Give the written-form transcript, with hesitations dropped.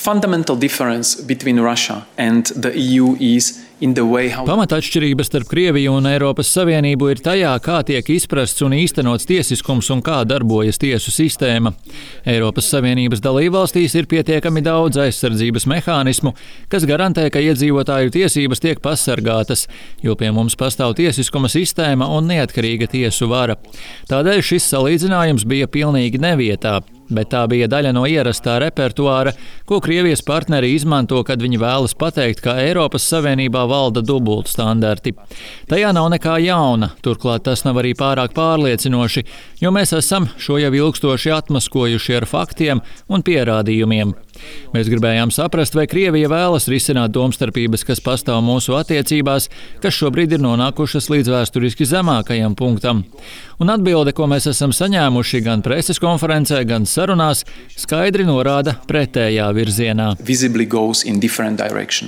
fundamental difference between Russia and the EU is in the way how... Pamatatšķirība starp Krieviju un Eiropas Savienību ir tajā, kā tiek izprasts un īstenots tiesiskums un kā darbojas tiesu sistēma. Eiropas Savienības dalībvalstīs ir pietiekami daudz aizsardzības mehānismu, kas garantē, ka iedzīvotāju tiesības tiek pasargātas, jo pie mums pastāv tiesiskuma sistēma un neatkarīga tiesu vara. Tādēļ šis salīdzinājums bija pilnīgi nevietā. Bet tā bija daļa no ierastā repertuāra, ko Krievijas partneri izmanto, kad viņi vēlas pateikt, ka Eiropas Savienībā valda dubultstandarti. Tajā nav nekā jauna, turklāt tas nav arī pārāk pārliecinoši, jo mēs esam šo jau ilgstoši atmaskojuši ar faktiem un pierādījumiem. Mēs gribējām saprast, vai Krievija vēlas risināt domstarpības, kas pastāv mūsu attiecībās, kas šobrīd ir nonākušas līdz vēsturiski zemākajam punktam. Un atbilde, ko mēs esam saņēmuši gan preses konferencē, gan sarunās, skaidri norāda pretējā virzienā. Visibly goes in different direction.